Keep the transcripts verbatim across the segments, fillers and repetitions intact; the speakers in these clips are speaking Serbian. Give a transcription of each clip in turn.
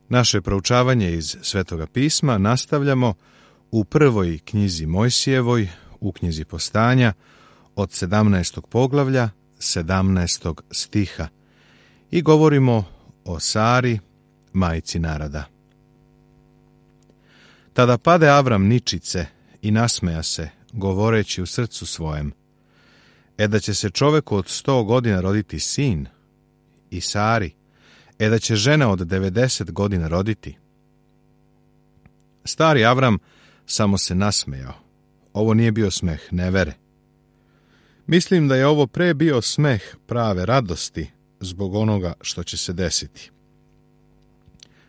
Naše proučavanje iz Svetoga pisma nastavljamo u prvoj knjizi Mojsijevoj, u knjizi Postanja, od sedamnaestog poglavlja, sedamnaestog stiha, i govorimo o Sari, majci naroda. Tada pade Avram ničice i nasmeja se, govoreći u srcu svojem: E da će se čoveku od sto godina roditi sin, i Sari, e da će žena od devedeset godina roditi. Stari Avram samo se nasmejao. Ovo nije bio smeh nevere. Mislim da je ovo pre bio smeh prave radosti zbog onoga što će se desiti.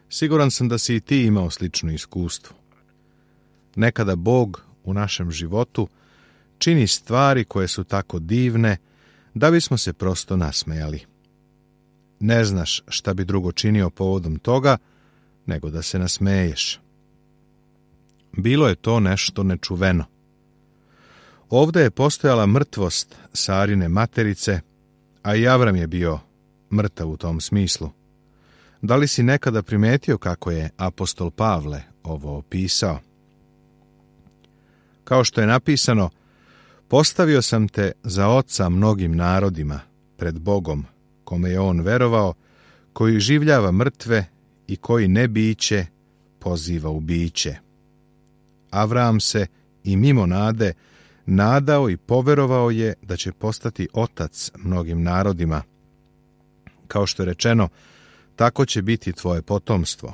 Siguran sam da si i ti imao slično iskustvo. Nekada Bog u našem životu čini stvari koje su tako divne da bismo se prosto nasmejali. Ne znaš šta bi drugo činio povodom toga nego da se nasmeješ. Bilo je to nešto nečuveno. Ovdje je postojala mrtvost Sarine materice, a i Avram je bio mrtav u tom smislu. Da li si nekada primetio kako je apostol Pavle ovo opisao? Kao što je napisano: postavio sam te za oca mnogim narodima pred Bogom, kome je on verovao, koji življava mrtve i koji ne biće poziva u biće. Avram se i mimo nade nadao i poverovao je da će postati otac mnogim narodima. Kao što je rečeno, tako će biti tvoje potomstvo.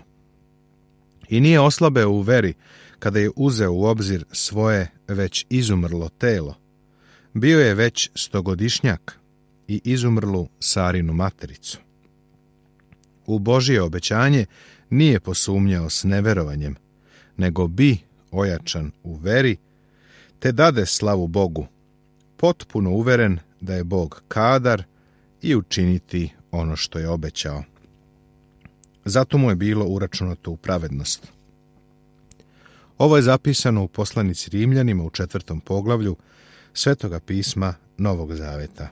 I nije oslabeo u veri kada je uzeo u obzir svoje već izumrlo telo. Bio je već stogodišnjak i izumrlu Sarinu matericu. U Božje obećanje nije posumnjao s neverovanjem, nego bi ojačan u veri, te dade slavu Bogu, potpuno uveren da je Bog kadar i učiniti ono što je obećao. Zato mu je bilo uračunato u pravednost. Ovo je zapisano u poslanici Rimljanima u četvrtom poglavlju Svetoga pisma Novog Zaveta.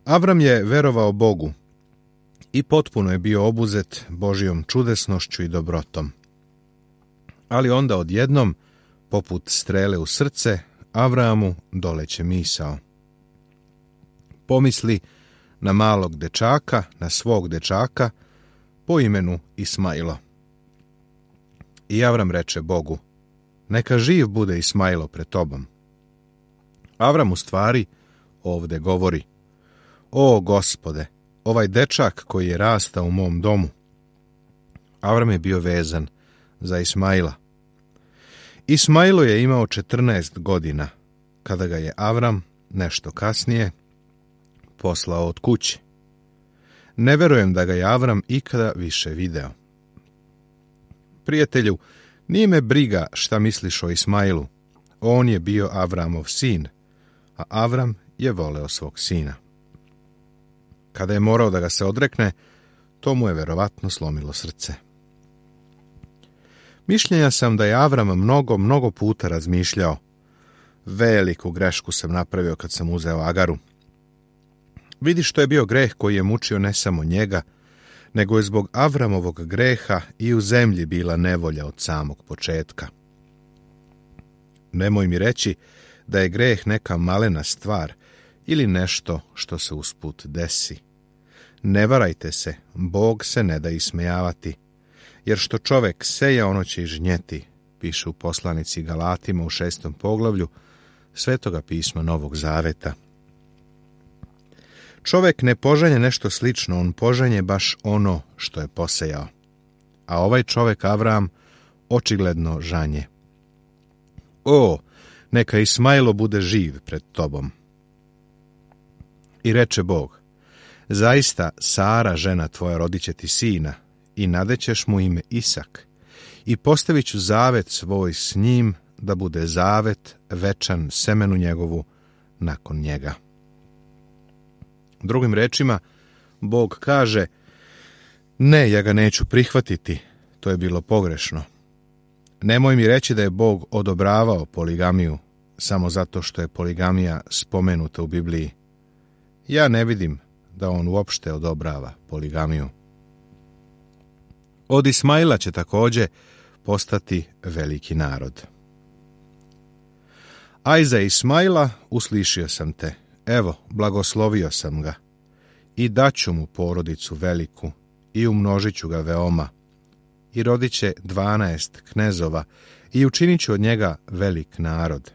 Avram je verovao Bogu i potpuno je bio obuzet Božjom čudesnošću i dobrotom. Ali onda odjednom, poput strele u srce, Avramu doleće misao. Pomisli na malog dečaka, na svog dečaka, po imenu Ismailo. I Avram reče Bogu: neka živ bude Ismailo pred tobom. Avram u stvari ovde govori: o Gospode, ovaj dečak koji je rastao u mom domu. Avram je bio vezan za Ismaila. Ismailo je imao četrnaest godina, kada ga je Avram, nešto kasnije, poslao od kuće. Ne verujem da ga je Avram ikada više video. Prijatelju, nije me briga šta misliš o Ismailu. On je bio Avramov sin, a Avram je voleo svog sina. Kada je morao da ga se odrekne, to mu je verovatno slomilo srce. Mišljenja sam da je Avram mnogo, mnogo puta razmišljao: veliku grešku sam napravio kad sam uzeo Agaru. Vidi što je bio greh koji je mučio ne samo njega, nego je zbog Avramovog greha i u zemlji bila nevolja od samog početka. Nemoj mi reći da je greh neka malena stvar ili nešto što se usput desi. Ne varajte se, Bog se ne da ismejavati, jer što čovek seja, ono će i žnjeti, piše u poslanici Galatima u šestom poglavlju Svetoga pisma Novog Zaveta. Čovek ne požanje nešto slično, on požanje baš ono što je posejao. A ovaj čovek Avram očigledno žanje. O, neka Ismailo bude živ pred tobom. I reče Bog: zaista Sara, žena tvoja, rodit će ti sina i nadećeš mu ime Isak i postavit ću zavet svoj s njim da bude zavet večan semenu njegovu nakon njega. Drugim rečima, Bog kaže: ne, ja ga neću prihvatiti, to je bilo pogrešno. Nemoj mi reći da je Bog odobravao poligamiju samo zato što je poligamija spomenuta u Bibliji. Ja ne vidim da on uopšte odobrava poligamiju. Od Ismaila će također postati veliki narod. A iza Ismaila uslišio sam te, evo, blagoslovio sam ga, i daću mu porodicu veliku, i umnožit ću ga veoma, i rodit će dvanaest knezova, i učinit ću od njega velik narod.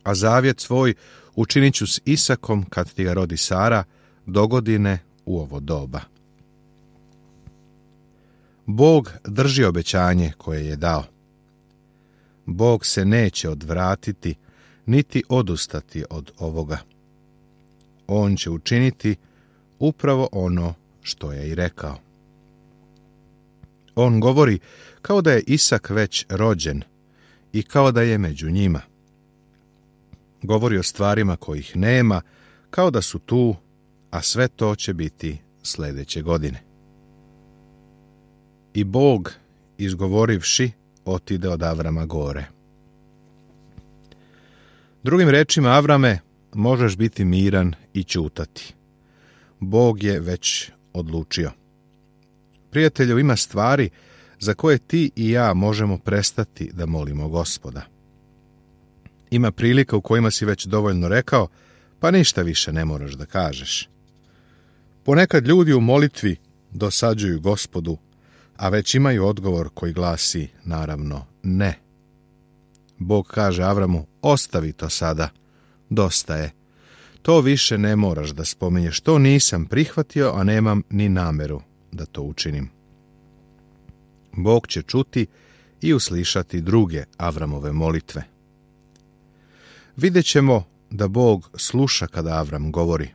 A zavjet svoj učinit ću s Isakom kad ti ga rodi Sara, dogodine u ovo doba. Bog drži obećanje koje je dao. Bog se neće odvratiti, niti odustati od ovoga. On će učiniti upravo ono što je i rekao. On govori kao da je Isak već rođen i kao da je među njima. Govori o stvarima kojih nema, kao da su tu, a sve to će biti sljedeće godine. I Bog, izgovorivši, otide od Avrama gore. Drugim rečima, Avrame, možeš biti miran i ćutati. Bog je već odlučio. Prijatelju, ima stvari za koje ti i ja možemo prestati da molimo Gospoda. Ima prilika u kojima si već dovoljno rekao, pa ništa više ne moraš da kažeš. Ponekad ljudi u molitvi dosađuju Gospodu, a već imaju odgovor koji glasi, naravno, ne. Bog kaže Avramu, ostavi to sada, dosta je. To više ne moraš da spominješ, to nisam prihvatio, a nemam ni nameru da to učinim. Bog će čuti i uslišati druge Avramove molitve. Vidjet ćemo da Bog sluša kada Avram govori.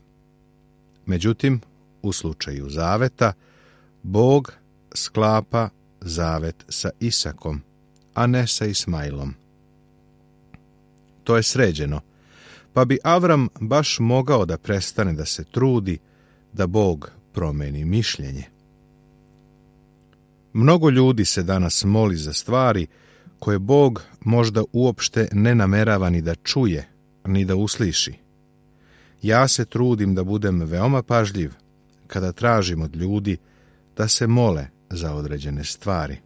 Međutim, u slučaju zaveta, Bog sklapa zavet sa Isakom, a ne sa Ismailom. To je sređeno, pa bi Avram baš mogao da prestane da se trudi da Bog promeni mišljenje. Mnogo ljudi se danas moli za stvari koje Bog možda uopšte ne namerava ni da čuje, ni da usliši. Ja se trudim da budem veoma pažljiv kada tražim od ljudi da se mole za određene stvari.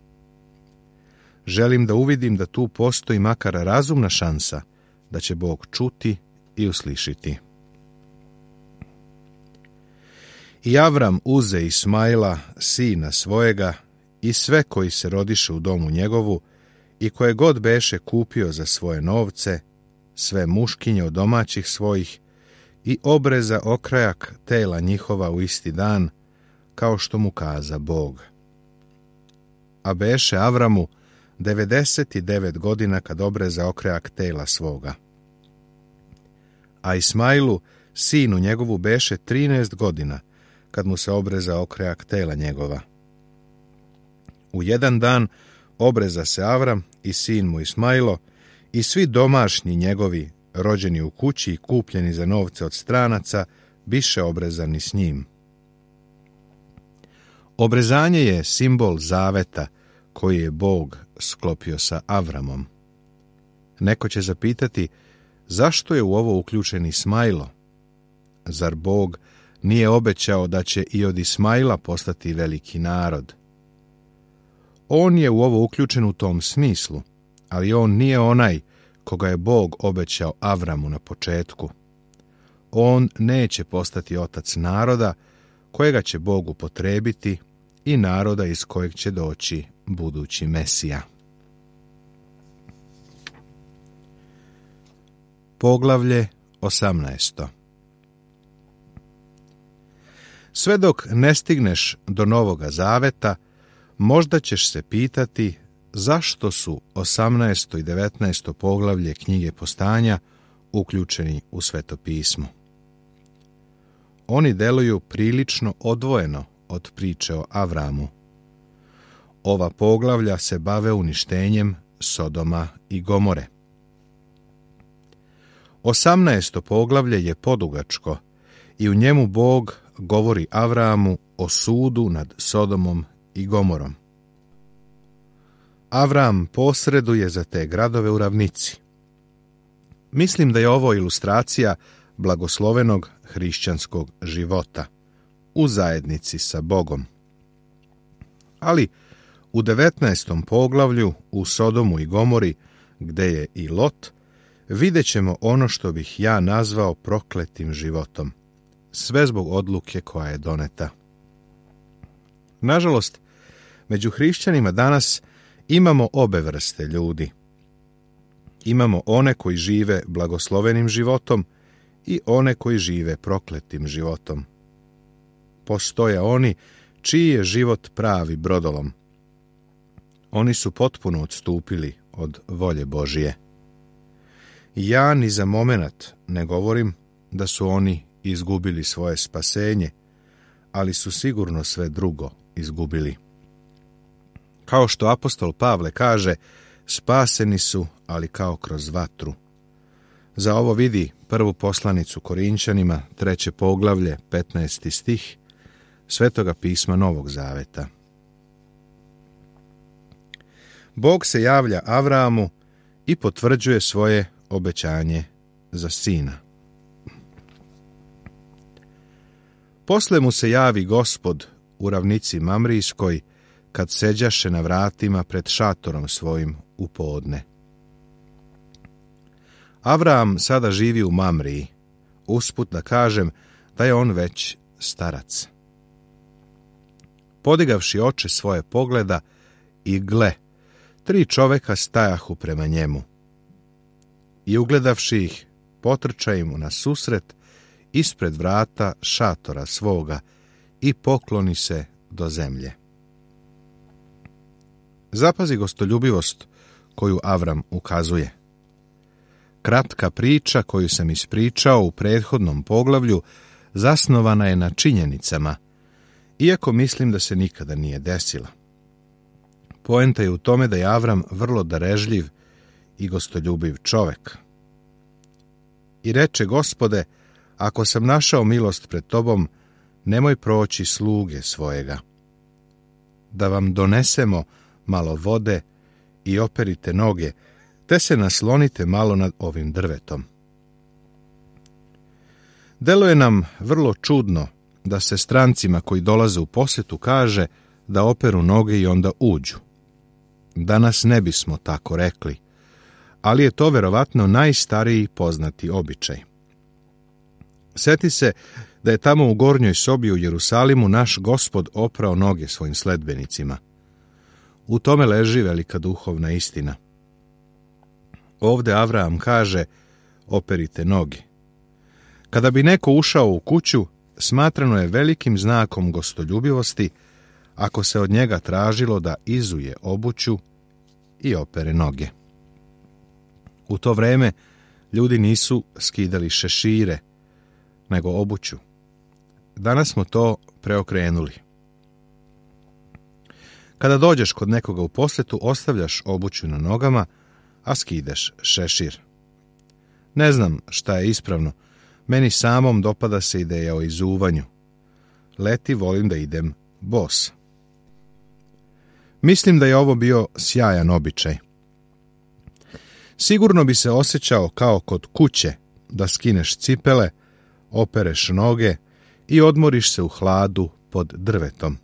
Želim da uvidim da tu postoji makar razumna šansa da će Bog čuti i uslišiti. I Avram uze Ismaila, sina svojega, i sve koji se rodiše u domu njegovu, i koje god beše kupio za svoje novce, sve muškinje od domaćih svojih, i obreza okrajak tela njihova u isti dan, kao što mu kaza Bog. A beše Avramu devedeset devet godina kad obreza okrajak tela svoga. A Ismailu, sinu njegovu, beše trinaest godina kad mu se obreza okrajak tela njegova. U jedan dan obreza se Avram i sin mu Ismailo i svi domašnji njegovi, rođeni u kući i kupljeni za novce od stranaca, biše obrezani s njim. Obrezanje je simbol zaveta koji je Bog sklopio sa Avramom. Neko će zapitati, zašto je u ovo uključen Ismailo? Zar Bog nije obećao da će i od Ismaila postati veliki narod? On je u ovo uključen u tom smislu, ali on nije onaj koga je Bog obećao Avramu na početku. On neće postati otac naroda kojega će Bog upotrebiti i naroda iz kojeg će doći budući Mesija. Poglavlje osamnaesto. Sve dok ne stigneš do Novoga Zaveta, možda ćeš se pitati zašto su osamnaesto i devetnaesto poglavlje knjige Postanja uključeni u Sveto pismo. Oni deluju prilično odvojeno od priče o Avramu. Ova poglavlja se bave uništenjem Sodoma i Gomore. Osamnaesto poglavlje je podugačko i u njemu Bog govori Avramu o sudu nad Sodomom i Gomorom. Avram posreduje za te gradove u ravnici. Mislim da je ovo ilustracija blagoslovenog hrišćanskog života u zajednici sa Bogom. Ali u devetnaestom poglavlju u Sodomu i Gomori, gde je i Lot, vidjet ćemo ono što bih ja nazvao prokletim životom. Sve zbog odluke koja je doneta. Nažalost, među hrišćanima danas imamo obe vrste ljudi. Imamo one koji žive blagoslovenim životom i one koji žive prokletim životom. Postoje oni čiji je život pravi brodolom. Oni su potpuno odstupili od volje Božije. Ja ni za momenat ne govorim da su oni izgubili svoje spasenje, ali su sigurno sve drugo izgubili. Kao što apostol Pavle kaže, spaseni su, ali kao kroz vatru. Za ovo vidi prvu poslanicu Korinćanima, treće poglavlje, petnaesti stih, Svetoga pisma Novog Zaveta. Bog se javlja Avramu i potvrđuje svoje obećanje za sina. Posle mu se javi Gospod u ravnici Mamrijskoj, kad seđaše na vratima pred šatorom svojim u podne. Avram sada živi u Mamriji, usput da kažem da je on već starac. Podigavši oče svoje pogleda i gle, tri čoveka stajahu prema njemu. I ugledavši ih, potrča im na susret ispred vrata šatora svoga i pokloni se do zemlje. Zapazi gostoljubivost koju Avram ukazuje. Kratka priča koju sam ispričao u prethodnom poglavlju zasnovana je na činjenicama, iako mislim da se nikada nije desila. Poenta je u tome da je Avram vrlo darežljiv i gostoljubiv čovek. I reče: Gospode, ako sam našao milost pred tobom, nemoj proći sluge svojega. Da vam donesemo malo vode i operite noge, te se naslonite malo nad ovim drvetom. Deluje nam vrlo čudno da se strancima koji dolaze u posjetu kaže da operu noge i onda uđu. Danas ne bismo tako rekli, ali je to verovatno najstariji poznati običaj. Sjeti se da je tamo u gornjoj sobi u Jerusalimu naš Gospod oprao noge svojim sledbenicima. U tome leži velika duhovna istina. Ovde Avram kaže: operite noge. Kada bi neko ušao u kuću, smatrano je velikim znakom gostoljubivosti ako se od njega tražilo da izuje obuću i opere noge. U to vreme ljudi nisu skidali šešire, nego obuću. Danas smo to preokrenuli. Kada dođeš kod nekoga u posjetu, ostavljaš obuću na nogama, a skideš šešir. Ne znam šta je ispravno, meni samom dopada se ideja o izuvanju. Leti volim da idem bos. Mislim da je ovo bio sjajan običaj. Sigurno bi se osjećao kao kod kuće, da skineš cipele, opereš noge i odmoriš se u hladu pod drvetom.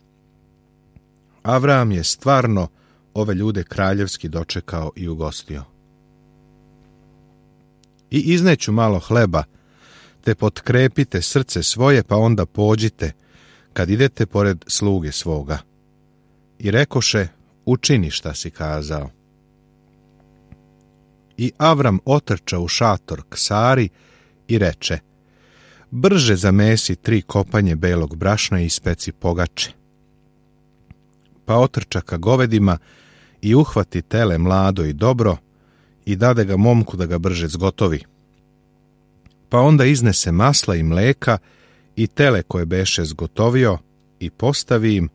Avram je stvarno ove ljude kraljevski dočekao i ugostio. I izneću malo hleba, te potkrepite srce svoje, pa onda pođite, kad idete pored sluge svoga. I rekoše: učini šta si kazao. I Avram otrča u šator k Sari i reče: brže zamesi tri kopanje belog brašna i ispeci pogače. Pa otrča ka govedima i uhvati tele mlado i dobro i dade ga momku da ga brže zgotovi. Pa onda iznese masla i mleka i tele koje beše zgotovio i postavi im,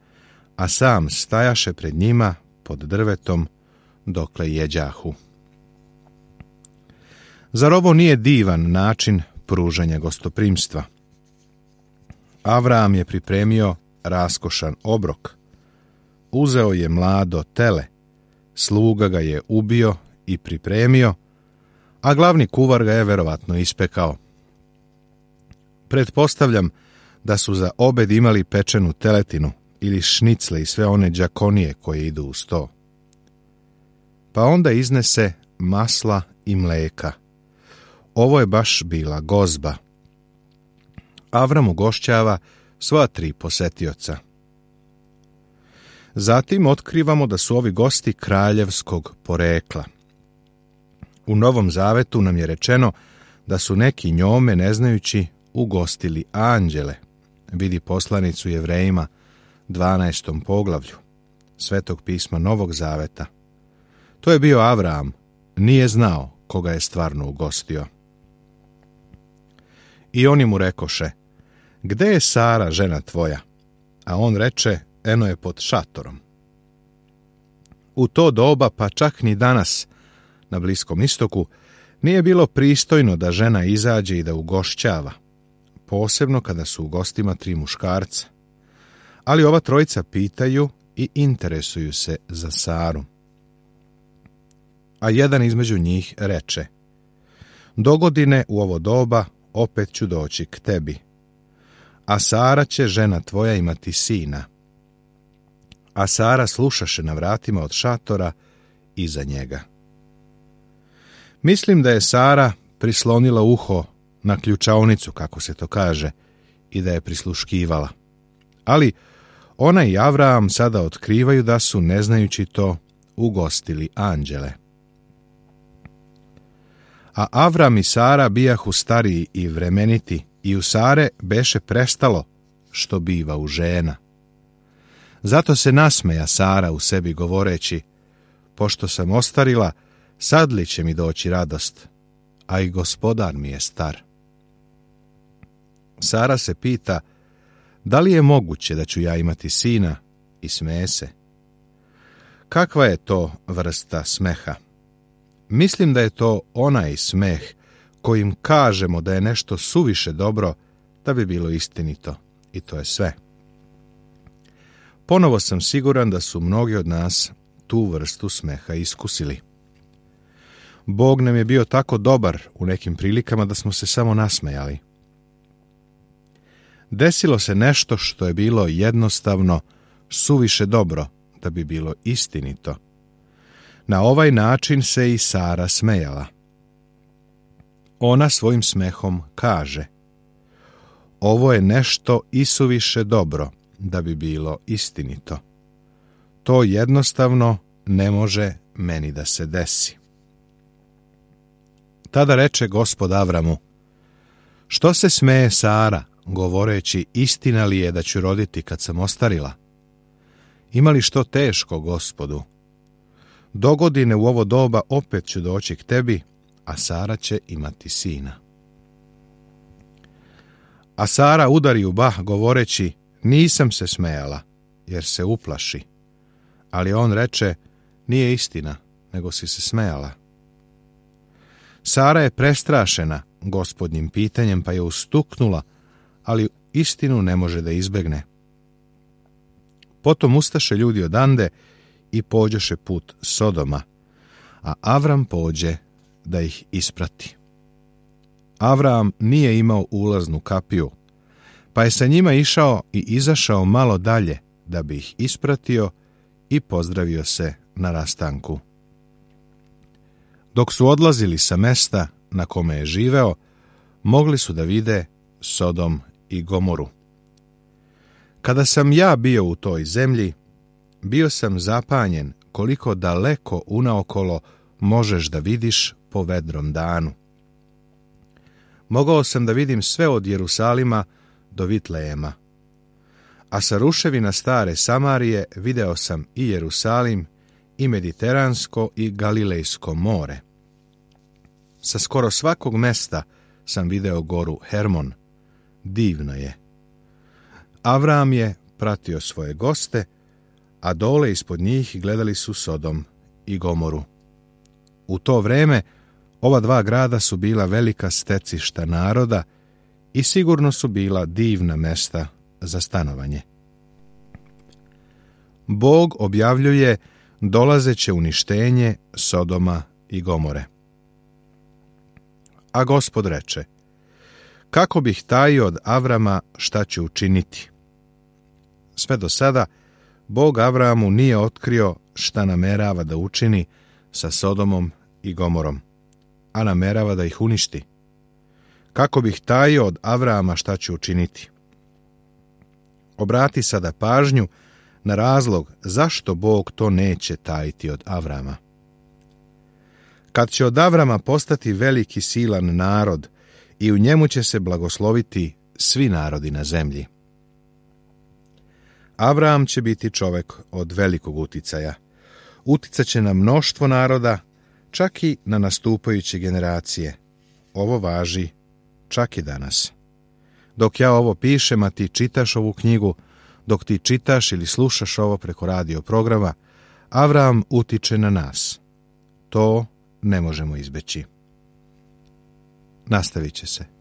a sam stajaše pred njima pod drvetom dokle jeđahu. Zar ovo nije divan način pružanja gostoprimstva? Avram je pripremio raskošan obrok. Uzeo je mlado tele, sluga ga je ubio i pripremio, a glavni kuvar ga je verovatno ispekao. Pretpostavljam da su za obed imali pečenu teletinu ili šnicle i sve one đakonije koje idu uz to. Pa onda iznese masla i mleka. Ovo je baš bila gozba. Avram ugošćava sva tri posetioca. Zatim otkrivamo da su ovi gosti kraljevskog porekla. U Novom Zavetu nam je rečeno da su neki njome, ne znajući, ugostili anđele. Vidi poslanicu Jevrejima, dvanaestom poglavlju Svetog pisma Novog Zaveta. To je bio Avram, nije znao koga je stvarno ugostio. I oni mu rekoše, gde je Sara, žena tvoja? A on reče, eno je pod šatorom. U to doba, pa čak ni danas, na Bliskom istoku, nije bilo pristojno da žena izađe i da ugošćava, posebno kada su u gostima tri muškarca. Ali ova trojica pitaju i interesuju se za Saru. A jedan između njih reče, dogodine u ovo doba opet ću doći k tebi, a Sara će, žena tvoja, imati sina. A Sara slušaše na vratima od šatora iza njega. Mislim da je Sara prislonila uho na ključaonicu, kako se to kaže, i da je prisluškivala. Ali ona i Avram sada otkrivaju da su, ne znajući to, ugostili anđele. A Avram i Sara bijahu stariji i vremeniti, i u Sare beše prestalo što biva u žena. Zato se nasmeja Sara u sebi govoreći, pošto sam ostarila, sad li će mi doći radost, a i gospodar mi je star. Sara se pita, da li je moguće da ću ja imati sina, i smeje se. Kakva je to vrsta smeha? Mislim da je to onaj smeh kojim kažemo da je nešto suviše dobro da bi bilo istinito, i to je sve. Ponovo sam siguran da su mnogi od nas tu vrstu smeha iskusili. Bog nam je bio tako dobar u nekim prilikama da smo se samo nasmejali. Desilo se nešto što je bilo jednostavno suviše dobro da bi bilo istinito. Na ovaj način se i Sara smejala. Ona svojim smehom kaže, ovo je nešto isuviše dobro da bi bilo istinito. To jednostavno ne može meni da se desi. Tada reče Gospod Avramu, što se smeje Sara, govoreći, istina li je da ću roditi kad sam ostarila? Ima li što teško, Gospodu? Dogodine u ovo doba opet ću doći k tebi, a Sara će imati sina. A Sara udari u bah, govoreći, nisam se smejala, jer se uplaši. Ali on reče, nije istina, nego si se smejala. Sara je prestrašena Gospodnjim pitanjem, pa je ustuknula, ali istinu ne može da izbegne. Potom ustaše ljudi odande i pođoše put Sodoma, a Avram pođe da ih isprati. Avram nije imao ulaznu kapiju, pa je sa njima išao i izašao malo dalje da bi ih ispratio i pozdravio se na rastanku. Dok su odlazili sa mesta na kome je živeo, mogli su da vide Sodom i Gomoru. Kada sam ja bio u toj zemlji, bio sam zapanjen koliko daleko unaokolo možeš da vidiš po vedrom danu. Mogao sam da vidim sve od Jerusalima do Vitlejema, a sa ruševina stare Samarije video sam i Jerusalim, i Mediteransko i Galilejsko more. Sa skoro svakog mesta sam video goru Hermon. Divno je. Avram je pratio svoje goste, a dole ispod njih gledali su Sodom i Gomoru. U to vreme ova dva grada su bila velika stecišta naroda i sigurno su bila divna mesta za stanovanje. Bog objavljuje dolazeće uništenje Sodoma i Gomore. A Gospod reče, kako bih tajio od Avrama šta ću učiniti? Sve do sada Bog Avramu nije otkrio šta namerava da učini sa Sodomom i Gomorom, a namerava da ih uništi. Kako bih tajio od Avrama šta će učiniti? Obrati sada pažnju na razlog zašto Bog to neće tajiti od Avrama. Kad će od Avrama postati veliki silan narod i u njemu će se blagosloviti svi narodi na zemlji. Avram će biti čovek od velikog uticaja. Uticaće na mnoštvo naroda, čak i na nastupajuće generacije. Ovo važi čak i danas. Dok ja ovo pišem, a ti čitaš ovu knjigu, dok ti čitaš ili slušaš ovo preko radio programa, Avram utiče na nas. To ne možemo izbeći. Nastavit će se.